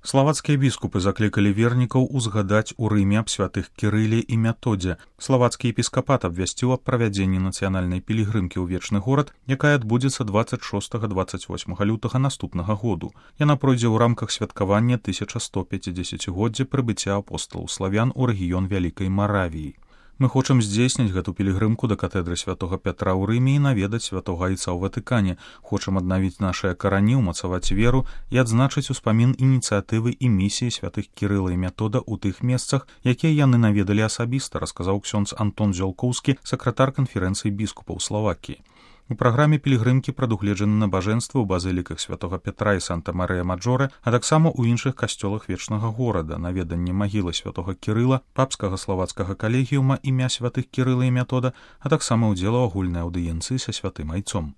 Славацкія біскупы заклікалі вернікаў узгадаць у Рыме аб святых Кірыле і Методзе. Славацкі епіскапат абвясціў аб правядзенні нацыянальнай пілігрымкі ў вечны горад, якая адбудзецца 26-28 лютага наступнага году. Яна пройдзе ў рамках святкавання 1150-годдзя прыбыцця апосталаў славян у рэгіён Вялікай Маравіі. Мы хочам здзейсніць гэту пілігрымку да катедры святога Пятра ў Рыме і наведаць святога Айца ў Ватыкане. Хочам аднавіць нашыя карані, умацаваць веру і адзначыць успамін ініцыятывы і місіі святых Кірыла і Метода ў тых месцах, якія яны наведалі асабіста, расказаў ксёндз Антон Зялкоўскі, сакратар канферэнцыі біскупаў Славакіі. У праграме пілігрымкі прадугледжаны набажэнствы ў базыліках святога Пятра і Санта-Марыя-Маджоре, а таксама ў іншых касцёлах вечнага горада, наведанне магілы святога Кірыла, папскага славацкага калегіума імя святых Кірыла і Метода, а таксама ўдзел у агульнай аўдыенцыі са святым Айцом.